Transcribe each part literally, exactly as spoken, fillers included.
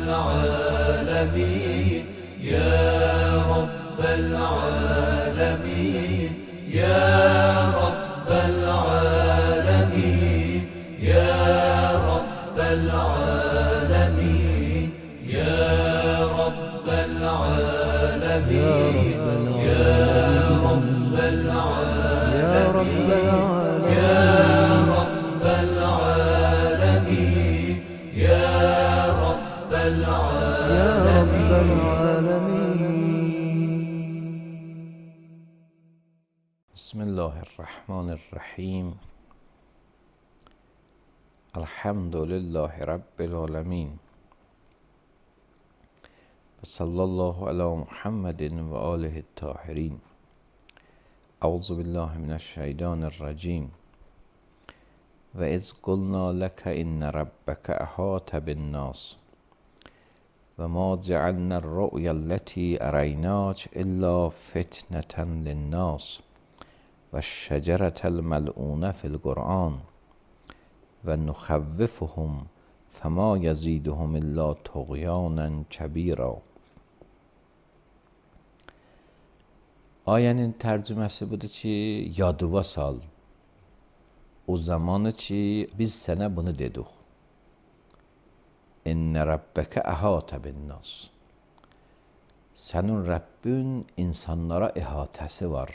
العالمين يا رب العالمين يا رب العالمين يا رب العالمين يا رب العالمين يا رب العالمين يا رب العالمين يا رب العالمين. بسم الله الرحمن الرحیم. الحمد لله رب العالمین و صلی الله علی محمد و آله الطاهرین. اعوذ بالله من الشیطان الرجیم. و اذ قلنا لك ان ربك احاط بالناس و ما جعلنا الرؤيا التي اریناک الا فتنة للناس و الشجرة الملعونة في القرآن و نخوفهم فما یزیدهم الا طغیانا کبیرا. Ayənin tərcüməsi budur ki, yadıva sal. O zamanı ki, biz sənə bunu dedik. İnnə rəbbəkə əhətə bin-nas. Sənin Rəbbin insanlara əhatəsi var.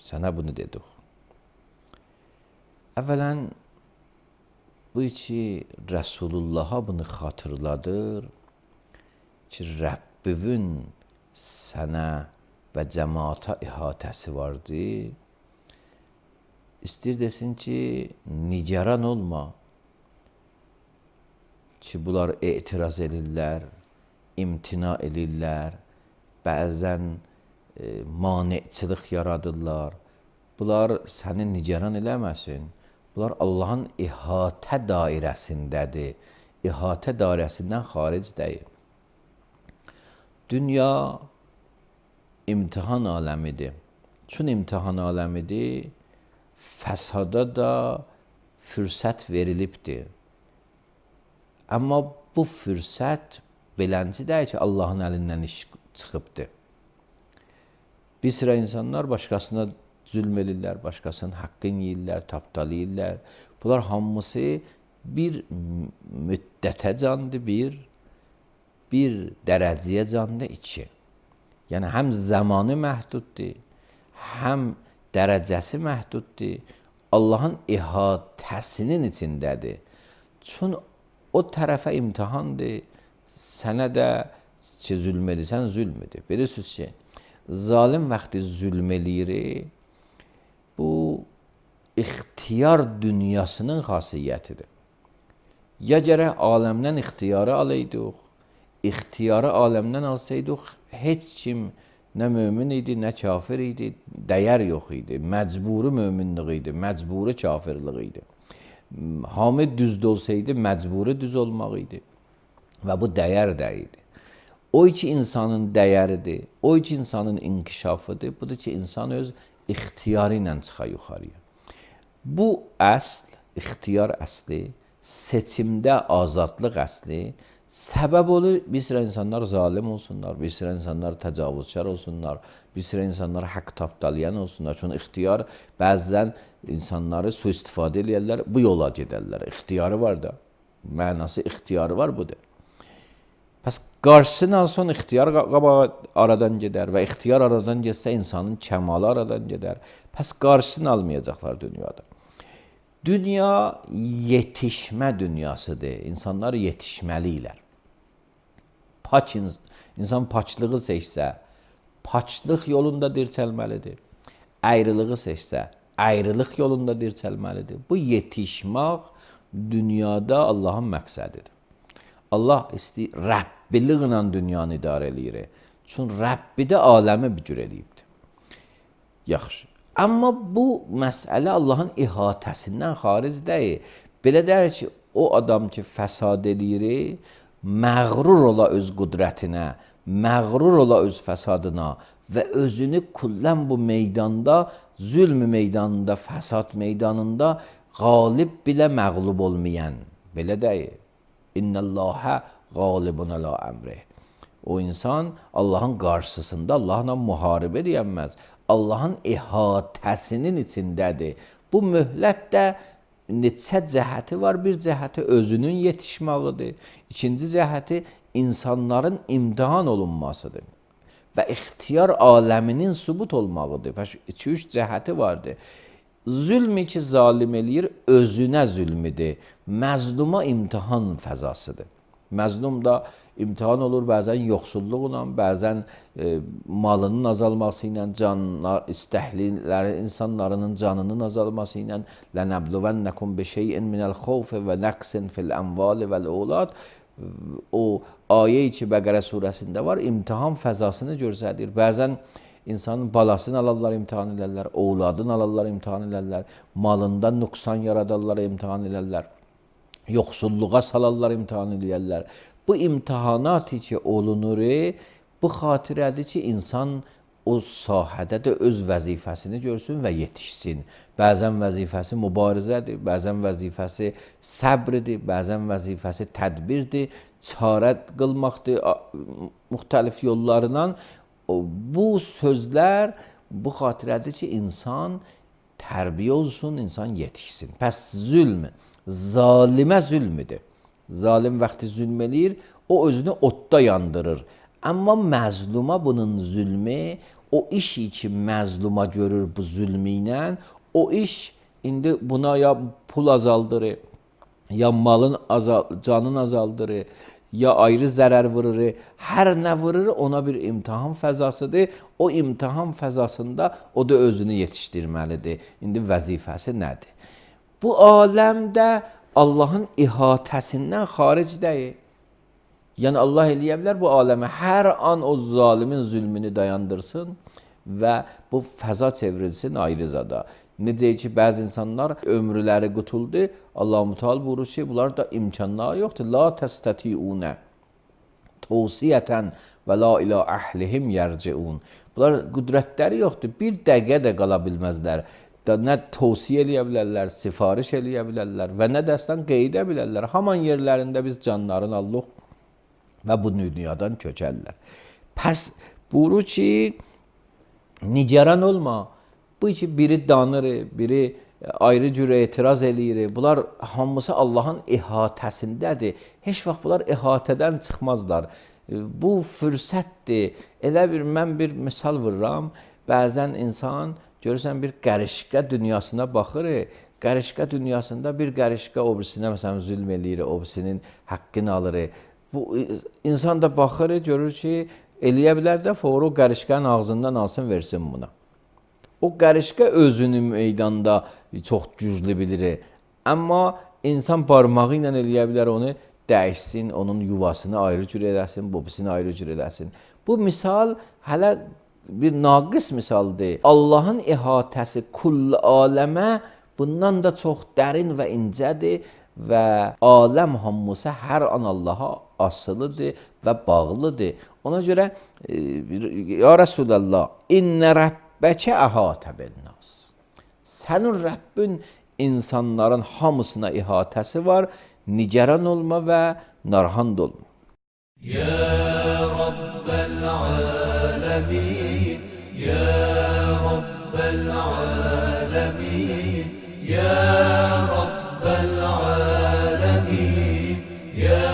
Sənə bunu dedik. Əvvələn, bu ki, Rəsulullah'a bunu xatırladır ki, Rəbbivin sənə və cəmaata əhatəsi vardı. İstir desin ki, nigaran olma ki, bunlar etiraz edirlər, imtina edirlər, bəzən e, maneçilik yaradırlar. Bunlar səni nigaran eləməsin. Bunlar Allahın əhatə dairəsindədir. Əhatə dairəsindən xaric deyil. Dünya imtihan aləmidir. Çün imtihan aləmidir, fəsada da fürsət verilibdir. Amma bu fürsət belənci deyil ki, Allahın əlindən iş çıxıbdır. Bir sıra insanlar başqasına zülm edirlər, başqasının haqqını yeyirlər, tapdalayırlar. Bunlar hamısı bir müddətə candır, bir, bir dərəcəyə candır, iki. Yəni, həm zamanı məhduddur, həm dərəcəsi məhduddur. Allahın əhatəsinin içindədir. Çün o tərəfə imtihandır, sənə də ki, zülm edirsən, zülm edir. Bilirsiniz ki, zalim vaxtı zülm eləyir, bu ixtiyar dünyasının xasiyyətidir. Ya gərək aləmdən ixtiyarı alaydıq, ixtiyarı aləmdən alsaydıq, heç kim nə mömin idi, nə kafir idi, dəyər yox idi. Məcburi möminlik idi, məcburi kafirlik idi. Hamid düzd olsaydı, məcburi düz olmaq idi. Və bu dəyər deyildi. O iki insanın dəyəridir, o iki insanın inkişafıdır. Budur ki, insan öz ixtiyarı ilə çıxar yuxarıya. Bu əsl, ixtiyar əsli, seçimdə azadlıq əsli, səbəb olur, bir sıra insanlar zalim olsunlar, bir sıra insanlar təcavüzkar olsunlar, bir sıra insanlar haqq tapdalayan olsunlar. Çünki ixtiyar bəzən insanları sui-istifadə edirlər, bu yola gedərlər. İxtiyarı var da, mənası ixtiyarı var budur. Pəs qarşısını alsan, ixtiyar qabağa aradan gedər və ixtiyar aradan getsə, insanın kəmalı aradan gedər. Pəs qarşısını almayacaqlar dünyada. Dünya yetişmə dünyasıdır. İnsanlar yetişməliylər. Pak insan paçlığı seçsə, paçlıq yolunda dirçəlməlidir. Ayrılığı seçsə, ayrılıq yolunda dirçəlməlidir. Bu yetişmək dünyada Allahın məqsədidir. Allah istəyir, Rəbbiliklə dünyanı idarə eləyir. Çünki Rəbbi də aləmi bir cür eləyibdir. Yaxşı. Amma bu məsələ Allahın əhatəsindən xaric deyil. Belə deyir ki, o adam ki, fəsad eləyir, məğrur ola öz qüdrətinə, məğrur ola öz fəsadına və özünü kullən bu meydanda, zülm meydanında, fəsad meydanında qalib bilə məğlub olmayan. Belə deyil. İnnəlləhə qalibun ala əmrih. O insan Allahın qarşısında Allahla müharibə edəməz. Allahın əhatəsinin içindədir. Bu möhlət də neçə cəhəti var. Bir cəhəti özünün yetişməğidir. İkinci cəhəti insanların imtihan olunmasıdır. Və ixtiyar aləminin sübut olmağıdır. iki üç cəhəti vardır. Zülmü ki zalim eləyir, özünə zülmüdür. Məzluma imtihan fəzasıdır. Məzlum da imtihan olur bəzən yoxsulluqla, bəzən e, malının azalması ilə, canlar, istəkliləri, insanların canının azalması ilə lənəbluvənnəkum bi şeyin minəl xawfi və nəqsin fil əmvali vəl əvlad. O ayə-i ki Bəqərə surəsində var, imtihan fəzasını göstərir. Bəzən insanın balasını alarlar, imtihan elərlər, ovladını alarlar, imtihan elərlər, malında nüqsan yaradarlar, imtihan elərlər, yoxsulluğa salarlar, imtihan elərlər. Bu imtihanat ki olunur, bu xatirədir ki, insan o sahədə də öz vəzifəsini görsün və yetişsin. Bəzən vəzifəsi mübarizədir, bəzən vəzifəsi səbridir, bəzən vəzifəsi tədbirdir, çarə qılmaqdır, müxtəlif yollarından. Bu sözlər bu xatirədir ki, insan tərbiyə olsun, insan yetişsin. Pəs zülm, zalimə zülmüdür. Zalim vaxtı zülm eləyir, o özünü odda yandırır. Amma məzluma bunun zülmü, o iş ki məzluma görür bu zülmü ilə, o iş indi buna ya pul azaldırır, ya malın azal, canın azaldırır, ya ayrı zərər vurur, hər nə vurur ona bir imtihan fəzasıdır. O imtihan fəzasında o da özünü yetişdirməlidir. İndi vəzifəsi nədir? Bu aləmdə Allahın ihatəsindən xaric deyil. Yəni Allah eləyə bilər bu aləmə hər an o zalimin zülmünü dayandırsın və bu fəza çevrilsin ayrı zada. Necə ki, bəzi insanlar ömrüləri qutuldu, Allah-u Teala buyurur ki, bunlar da imkanları yoxdur. La təstətiunə tavsiyətən və la ilə əhlihim yərciun. Bunlar qüdrətləri yoxdur, bir dəqiqə də qala bilməzlər. Nə tavsiyə eləyə bilərlər, sifariş eləyə bilərlər və nə dəstən qeydə bilərlər. Haman yerlərində biz canlarını allıq və bu dünyadan köçərlər. Pəs buyurur ki, nigaran olma. Bu ki, biri danır, biri ayrı cürə etiraz eləyir. Bunlar hamısı Allahın ihatəsindədir. Heç vaxt bunlar ihatədən çıxmazlar. Bu fürsətdir. Elə bir, mən bir misal vururam. Bəzən insan görürsən bir qərişqə dünyasına baxır. Qərişqə dünyasında bir qərişqə o birisinə məsələn zülm eləyir, o birisinin haqqını alır. Bu insan da baxır, görür ki, eləyə bilər də fəvri o qərişqənin ağzından alsın, versin buna. O qərişqə özünü meydanda çox güclü bilir. Amma insan barmağı ilə eləyə bilər onu dəyişsin, onun yuvasını ayrı cür eləsin, bobisini ayrı cür eləsin. Bu misal hələ bir naqis misaldır. Allahın ihatəsi kull aləmə bundan da çox dərin və incədir və aləm hamısı hər an Allaha asılıdır və bağlıdır. Ona görə ya Rəsulallah, innə rəbbəkə əhatə bin-nas. Sənin Rəbbin insanların hamısına ihatəsi var. Nigaran olma və narhand olma. Ya Rabbel alemin, Ya Rabbel alemin, Ya Rabbel alemin, Ya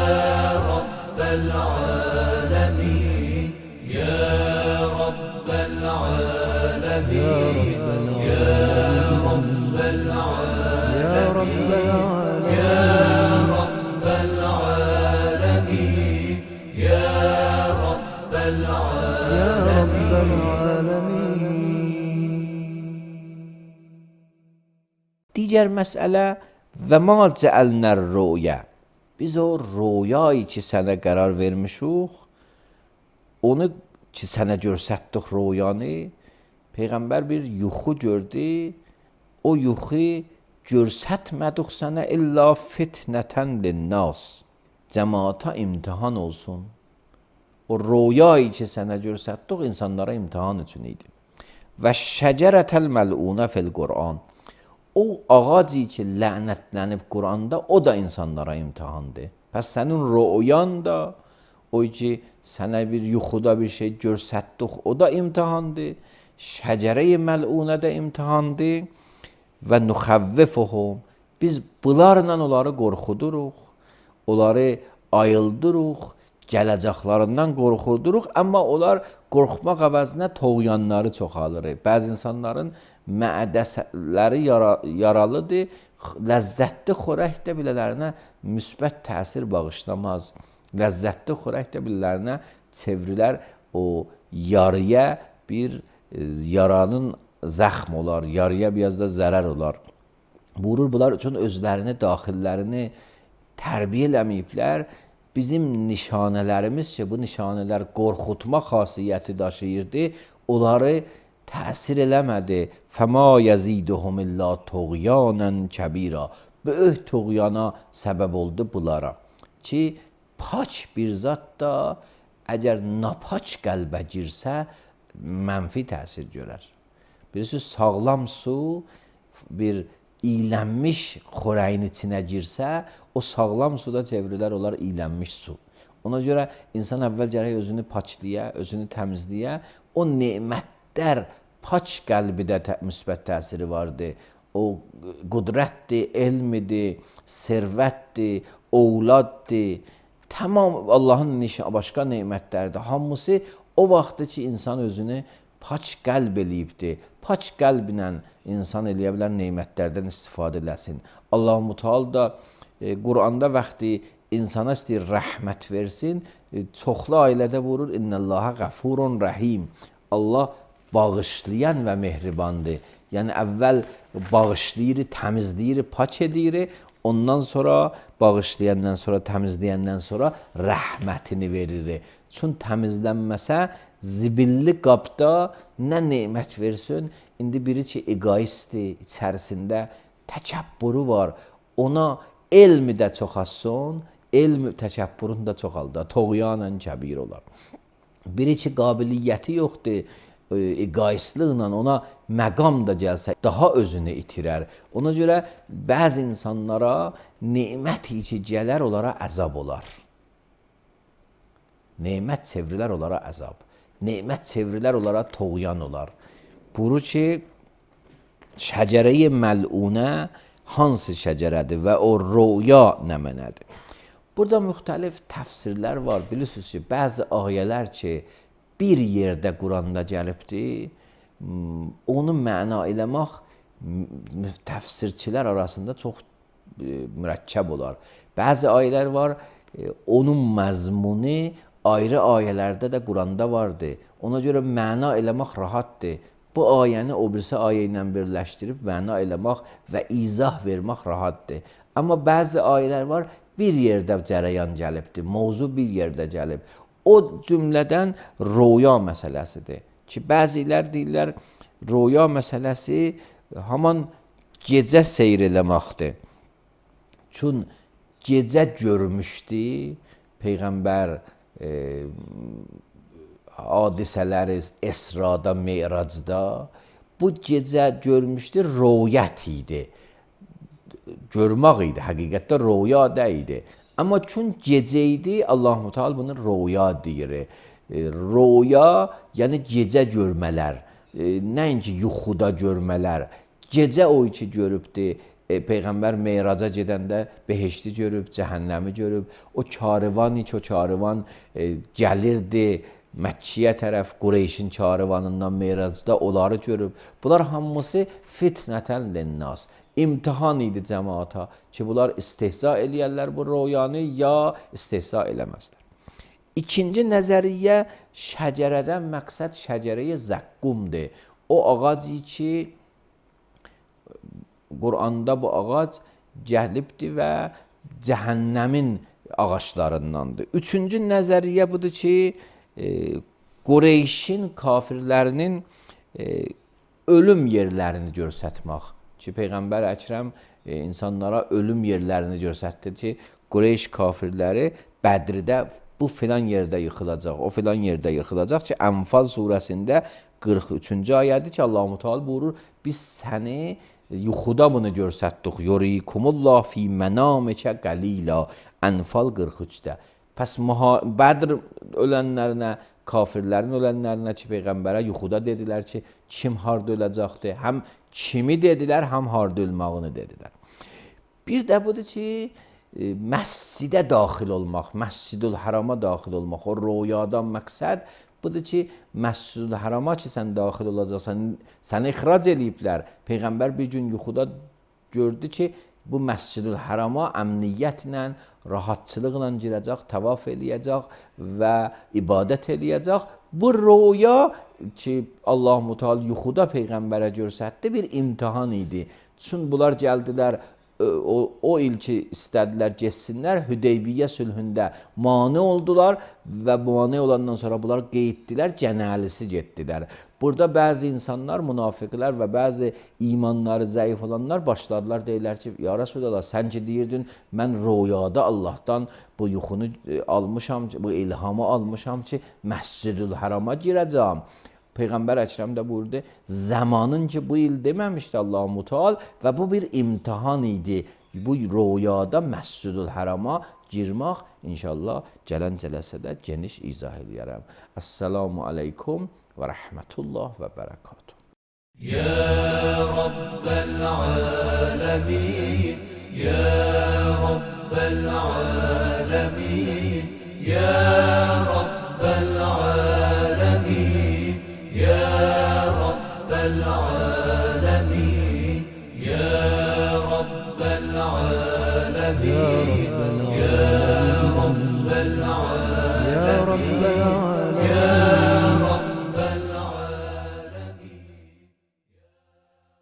Rabbel alemin, Ya Rabbel alemin, Ya Rabbel alemin, Ya Rabbel Digər məsələ və ma cəəlnər rüyə. Biz o rüyayı ki sənə qərar vermişik, onu ki sənə görsətdik rüyanı, Peyğəmbər bir yuxu gördü, o yuxu görsətmədik sənə illa fitnətən linnas. Cəmaata imtihan olsun. O rüyayı ki sənə görsətdik insanlara imtihan üçün idi. Və şəcərətəl məlunə fil Qur'an. O ağacı ki lənətlənib Quranda, o da insanlara imtihandır. Pəs sənin rüyan da, o ki, sənə bir yuxuda bir şey görsətdik, o da imtihandır. Şəcərə-i məlunə də imtihandır. Və nuxəvvifuhum, biz bunlarla onları qorxuduruq, onları ayıldırıq, gələcəklərindən qorxuduruq, amma onlar qorxmaq əvəzinə toğyanları çoxalır. Bəzi insanların mədəsələri yara, yaralıdır, ləzzətli xörək də bilələrinə müsbət təsir bağışlamaz. Ləzzətli xörək də bilələrinə çevrilər, o yarıya bir yaranın zəxm olar, yarıya biraz da zərər olar. Buyurur, bunlar üçün özlərini, daxillərini tərbiyə eləməyiblər. Bizim nişanələrimiz ki, bu nişanələr qorxutma xasiyyəti daşıyırdı, onları təsir eləmədi. Fəma yəziduhum illə tuğyanən kəbira. Böyük tuğyana səbəb oldu bunlara. Ki, pak bir zat da əgər napaç qəlbə girsə, mənfi təsir görər. Birisi sağlam su bir iylənmiş xörəyin içinə girsə, o sağlam suda çevrilər olar iylənmiş su. Ona görə insan əvvəl gərək özünü paçlıya, özünü təmizləyə. O nemətlər paç qəlbidə tə müsbət təsiri vardır. O qudrətdir, elmidir, servətdir, ovladdır. Tamam Allahın başqa nemətlərdir. Hamısı o vaxtdır ki, insan özünü paç qəlb eləyibdir. Paç qəlblə insan eləyə bilər, nemətlərdən istifadə eləsin. Allah-u Teala da e, Quranda vaxtı insana istəyir rəhmət versin, e, çoxlu ayələrdə buyurur, İnnəllaha qəfurun rəhim. Allah bağışlayan və mehribandır. Yəni əvvəl bağışlayır, təmizləyir, paç edir, ondan sonra bağışlayandan sonra, təmizləyəndən sonra rəhmətini verir. Çün təmizlənməsə, zibilli qabda nə nemət versin, indi biri ki, egoistdir, içərisində təkəbbürü var, ona elmi də çoxalsın, elm təkəbbürün də çoxaldır, toğyanən kəbir olar. Biri ki, qabiliyyəti yoxdur, egoistliklə ona məqam da gəlsə, daha özünü itirər. Ona görə bəzi insanlara nemət içi gələr, onlara əzab olar. Nemət çevrilər onlara əzab. Nemət çevrilər onlara toğyan olar. Buyurur ki, şəcərə-i məlunə hansı şəcərədir və o rüya nə mənədir? Burada müxtəlif təfsirlər var. Bilirsiniz ki, bəzi ayələr ki, bir yerdə Quranda gəlibdir, onu məna eləmək təfsirçilər arasında çox mürəkkəb olar. Bəzi ayələr var, onun məzmunu ayrı ayələrdə də Quranda vardır. Ona görə məna eləmək rahatdır. Bu ayəni o birisi ayə ilə birləşdirib məna eləmək və izah vermək rahatdır. Amma bəzi ayələr var, bir yerdə cərəyan gəlibdir, mövzu bir yerdə gəlib. O cümlədən rüya məsələsidir ki, bəzilər deyirlər, rüya məsələsi haman gecə seyr eləməkdir. Çün gecə görmüşdü Peyğəmbər e, hadisələri Əsrada, Me'racda. Bu gecə görmüşdü, rüyət idi. Görmək idi, həqiqətdə rüya deyildi. Amma çün gecə idi, Allah-u Teala bunu rüya deyir. E, rüya, yəni gecə görmələr, e, nəinki yuxuda görmələr. Gecə o iki görübdü. E, Peyğəmbər Meyraca gedəndə behişti görüb, cəhənnəmi görüb. O karvan iki, o karvan e, gəlirdi Məkkiyə tərəf, Qureyşin karvanından Meyracda onları görüb. Bunlar hamısı fitnətən linnas. İmtihan idi cəmaata ki, bunlar istehza eləyərlər bu rüyanı, ya istehza eləməzlər. İkinci nəzəriyyə, şəcərədən məqsəd şəcərəyə zəqqumdur. O ağac ki, Quranda bu ağac gəlibdir və cəhənnəmin ağaçlarındandır. Üçüncü nəzəriyyə budur ki, e, Qureyşin kafirlərinin e, ölüm yerlərini görsətmək. Ki, Peyğəmbər Əkrəm e, insanlara ölüm yerlərini görsətdi ki, Qureyş kafirləri Bədirdə bu filan yerdə yıxılacaq, o filan yerdə yıxılacaq ki, Ənfal surəsində qırx üçüncü ayədir ki, Allah-u Teala buyurur, biz səni yuxuda bunu görsətdik. Yurikumullah fi mənamikə qalila. Ənfal qırx üçdə. Pəs Bədr ölənlərinə, kafirlərin ölənlərinə ki, Peyğəmbərə yuxuda dedilər ki, kim harda öləcəkdir? Həm kimi dedilər, həm harda ölmağını dedilər. Bir də budur ki, məscidə daxil olmaq, Məscidül Hərama daxil olmaq, o rüyadan məqsəd budur ki, Məscidül Hərama ki, sən daxil olacaqsan, səni ixrac eləyiblər. Peyğəmbər bir gün yuxuda gördü ki, bu Məscidül Hərama əmniyyətlə, rahatçılıqla girəcək, təvaf eləyəcək və ibadət eləyəcək. Bu rüya ki, Allah-u Teala yuxuda Peyğəmbərə göstərdi, bir imtihan idi. Çünki bunlar gəldilər, o, o il ki, istədilər getsinlər, Hüdeybiyyə sülhündə mane oldular və mane olandan sonra bunlar qeyddilər, cənəlisi getdilər. Burada bəzi insanlar, münafiqlər və bəzi imanları zəif olanlar başladılar, deyirlər ki, ya Resulallah, sən ki deyirdin, mən rüyada Allahdan bu yuxunu almışam, bu ilhamı almışam ki, Məscidül Hərama girəcəm. Peyğəmbər Əkrəm də buyurdu, zamanın ki bu il deməmişdi Allah-u Teala və bu bir imtihan idi. Bu rüyada Məscidül Hərama girmək inşallah gələn cələsədə geniş izah edərəm. Əssalamu aleykum və rəhmətullah və bərəkatuhu. Ya Rabbel alemin, Ya Rabbel alemin, Ya Rabbel alemin, Ya Rabbel alemin, Ya Rabbel alemin.